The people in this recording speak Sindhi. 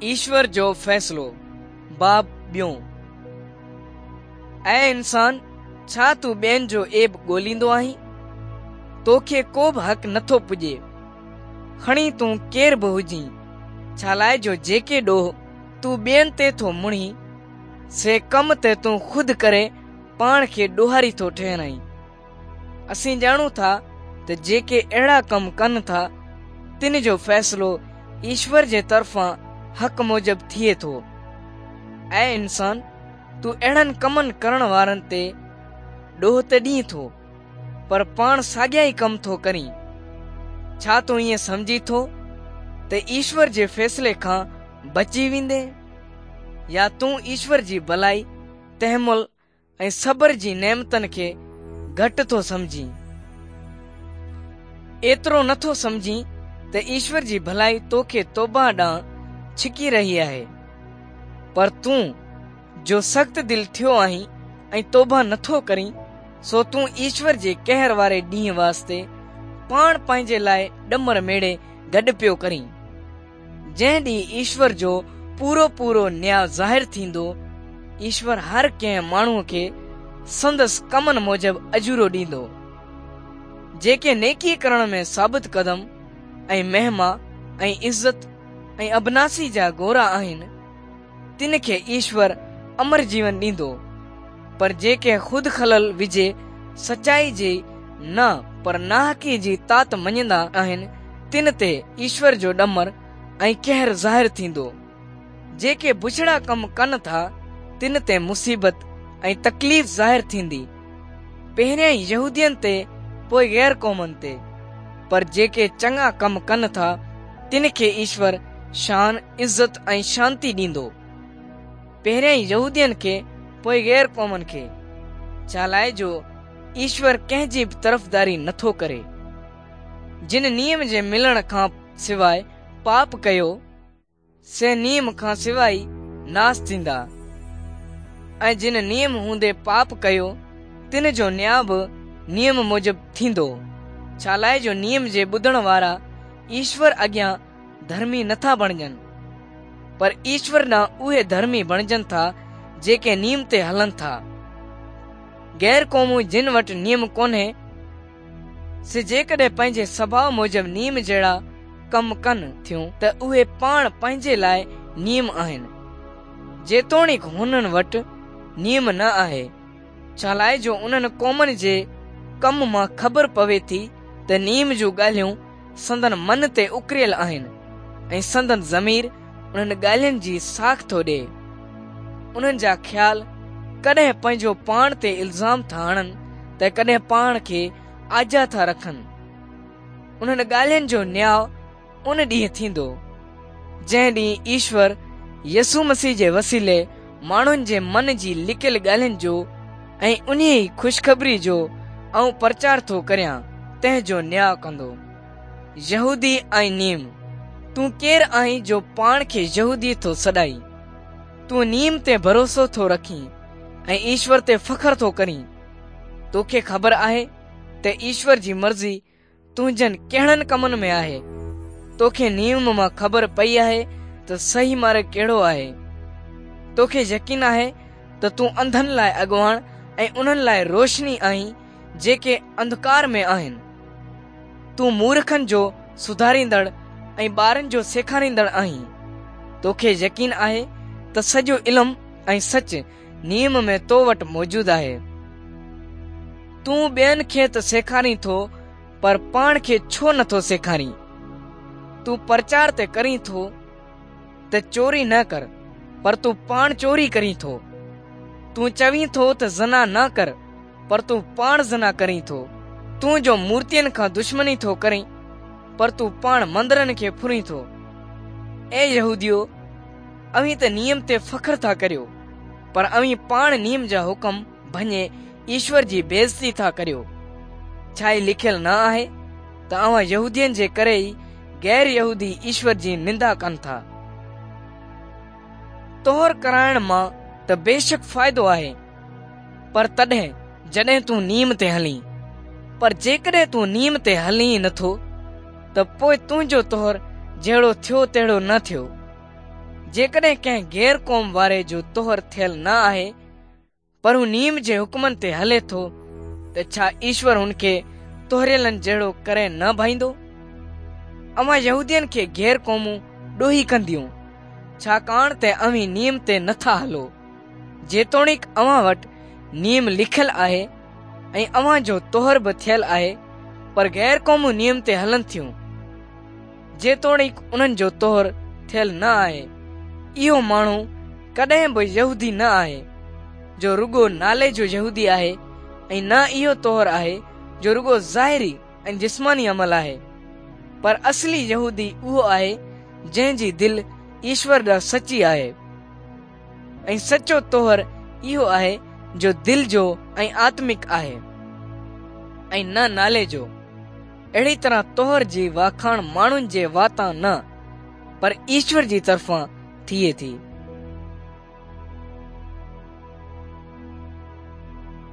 ايشور جو فيصلو، باب ٻيون. اي انسان، ڇا تون ٻين جو عيب ڳوليندو آهين؟ توکي ڪو به حق نٿو پڄي. کڻي تون ڪير به هجين، ڇالاء جو جيڪي ڏوهه تون ٻين تي ٿو مڙهين، سي ڪم ته تون خود ڪري پاڻ کي ڏوهاري ٿو ٺهرائين. اسين ڄاڻون ٿا ته جيڪي اهڙا ڪم ڪن ٿا، تن جو فيصلو ايشور جي طرفان حق موجب ٿئي ٿو. اي انسان، تون اهڙن ڪمن ڪرڻ وارن تي ڏوهه ته ڏئين ٿو، پر پاڻ ساڳيا ئي ڪم ٿو ڪرين. ڇا تون ائين سمجهين ٿو ته ايشور جي فيصلي کان بچي ويندين؟ يا تون ايشور جي ڀلائي، تحمل ۽ صبر جي نعمتن کي گهٽ ٿو سمجهين. ايترو نه ٿو سمجهين ته ايشور جي ڀلائي توکي توبه ڏانهن ڇڪي رهي آهي. پر تون جو سخت دل ٿيو آهين ۽ توبه نه ٿو ڪرين، سو تون ايشور جي قهر واري ڏينهن واسطي پاڻ پنهنجي لاء ڏمر ميڙي گڏ پيو ڪرين. جنهن ڏينهن ايشور جو پورو پورو نياء ظاهر ٿيندو، ايشور هر ڪنهن ماڻهوء کي سندس ڪمن موجب اجورو ڏيندو. جيڪي نيڪي ڪرڻ ۾ ثابت قدم ۽ مهما ۽ عزت ۽ ابناسي جا گورا آهن، تن کي ايشور امر جيون ڏيندو، پر جيڪي خود خلل وجهي سچائي جي نه پر ناحقي جي تات مڃيندا آهن، تن تي ايشور جو ڏمر ۽ قهر ظاهر ٿيندو. جيڪي بڇڙا ڪم ڪن ٿا، تن تي مصيبت ۽ تڪليف ظاهر ٿيندي، پهريائين يهودين تي پوء غير قومن تي. پر جيڪي چڱا ڪم ڪن ٿا، تن کي ايشور شان، عزت ۽ شانتي ڏيندو. پهريائين يهودين کي پوء غير قومن کي. ڇالاء جو ايشور ڪنهن جي به طرفداري نٿو ڪري. جن نيم جي ملڻ کان سواء پاپ ڪيو، سي نيم کان سواء ئي ناس ٿيندا ۽ جن نيم هوندي پاپ ڪيو، تن جو نياء به نيم موجب ٿيندو، ڇالاء جو نيم جي ٻڌڻ وارا ايشور اڳيان ڌرمي نٿا بڻجن، پر ايشور ڏانهن اهي ڌرمي بڻجن ٿا جيڪي نيم تي هلن ٿا. غير قومون جن وٽ نيم ڪونهي، سي جيڪڏهن پنهنجي سڀاء موجب نيم جهڙا ڪم ڪن ٿيون ته اهي پاڻ پنهنجي لاء نيم آهن، جيتوڻيڪ هنن وٽ نيم نه آهي، ڇالاء جو انهن قومن جي ڪم مان خبر پوي ٿي ته نيم جون ڳالهيون سندن من تي اڪريل آهن ۽ سندن ضمير انهن ڳالهين جي ساک ٿو ڏئي. انهن جا خيال ڪڏهن پنهنجو پاڻ تي الزام ٿا هڻن ته ڪڏهن پاڻ کي آجا ٿا رکن. انهن ڳالهين جو نياء ان ڏينهن ٿيندو، جنهن ڏينهن ايشور يسوع مسيح جي وسيلي ماڻهن جي من جي لڪيل ڳالهين جو ۽ انهيء ئي خوشخبري جو آئون پرچار ٿو ڪريان، تنهن جو نياء ڪندو. يهودي ۽ نيم. تون ڪير آهين جو پاڻ کي يهودي ٿو سڏائين؟ تون نيم تي ڀروسو ٿو رکين ۽ ايشور تي فخر ٿو ڪرين. توکي خبر آهي ته ايشور جي مرضي تنهنجن ڪهڙن ڪمن ۾ آهي؟ توکي نيم مان خبر پئي آهي ته صحيح مارڳ ڪهڙو آهي. توکي يقين آهي ته تون انڌن لاء اڳواڻ ۽ انهن لاء روشني آهين جيڪي انڌڪار ۾ آهن. تون مورکن جو سڌاريندڙ ۽ ٻارن جو سيکاريندڙ آهين. توکي يقين آهي ته سڄو علم ۽ سچ نيم ۾ تو وٽ موجود آهي. تون ٻين کي ته سيکارين ٿو پر پاڻ کي ڇو نه ٿو سيکارين؟ تون پرچار ته ڪرين ٿو ته چوري نه ڪر پر تون پاڻ چوري ڪرين ٿو. تون چوين ٿو ته زنا نه ڪر پر تون پاڻ زنا ڪرين ٿو. تون جو مورتين کان دشمني ٿو ڪرين پر تون پاڻ مندرن کي ڦرين ٿو. اي يهوديو! اوهين ته نيم تي فخر ٿا ڪريو، پر اوهين پاڻ نيم جا حڪم ڀڃي ايشور جي بيعزتي ٿا ڪريو. ڇا هي لکيل نه آهي ته اوهان يهودين جي ڪري ئي غير يهودي ايشور جي نندا ڪن ٿا؟ طهر ڪرائڻ مان ته بيشڪ فائدو آهي، پر تڏهن جڏهن تون نيم تي هلين. پر جيڪڏهن تون نيم تي هلين ئي نٿو ته پوء تنهنجو طهر جهڙو ٿيو تهڙو نه ٿيو. جيڪڏهن ڪنهن غير قوم واري جو طهر ٿيل نه آهي، پر هو نيم جي حڪمن تي هلي ٿو، ته ڇا ايشور هن کي طهريلن جهڙو ڪري نه ڀائيندو؟ اوهان يهودين کي غير قومون ڏوهي ڪنديون، ڇاڪاڻ ته اوهين نيم تي نه ٿا هلو. جيتوڻيڪ اوهان وٽ نيم لکيل آهي ۽ اوهان جو طهر به ٿيل آهي، پر غير قومون نيم تي هلن ٿيون، جيتوڻيڪ انهن جو طهر ٿيل نه آهي. اهو ماڻهو ڪڏهن به يهودي نه آهي، جو رڳو نالي جو يهودي آهي ۽ نه اهو طهر آهي جو رڳو ظاهري ۽ جسماني عمل آهي، پر اصلي يهودي اهو آهي جنهن جي دل ايشور ڏانهن سچي آهي. ۽ سچو طهر اهو آهي جو دل جو ۽ آتمڪ آهي ۽ نه نالي جو. اهڙي طرح طهر جي واکاڻ ماڻهن جي واتان نه پر ايشور جي طرفان ٿئي ٿي.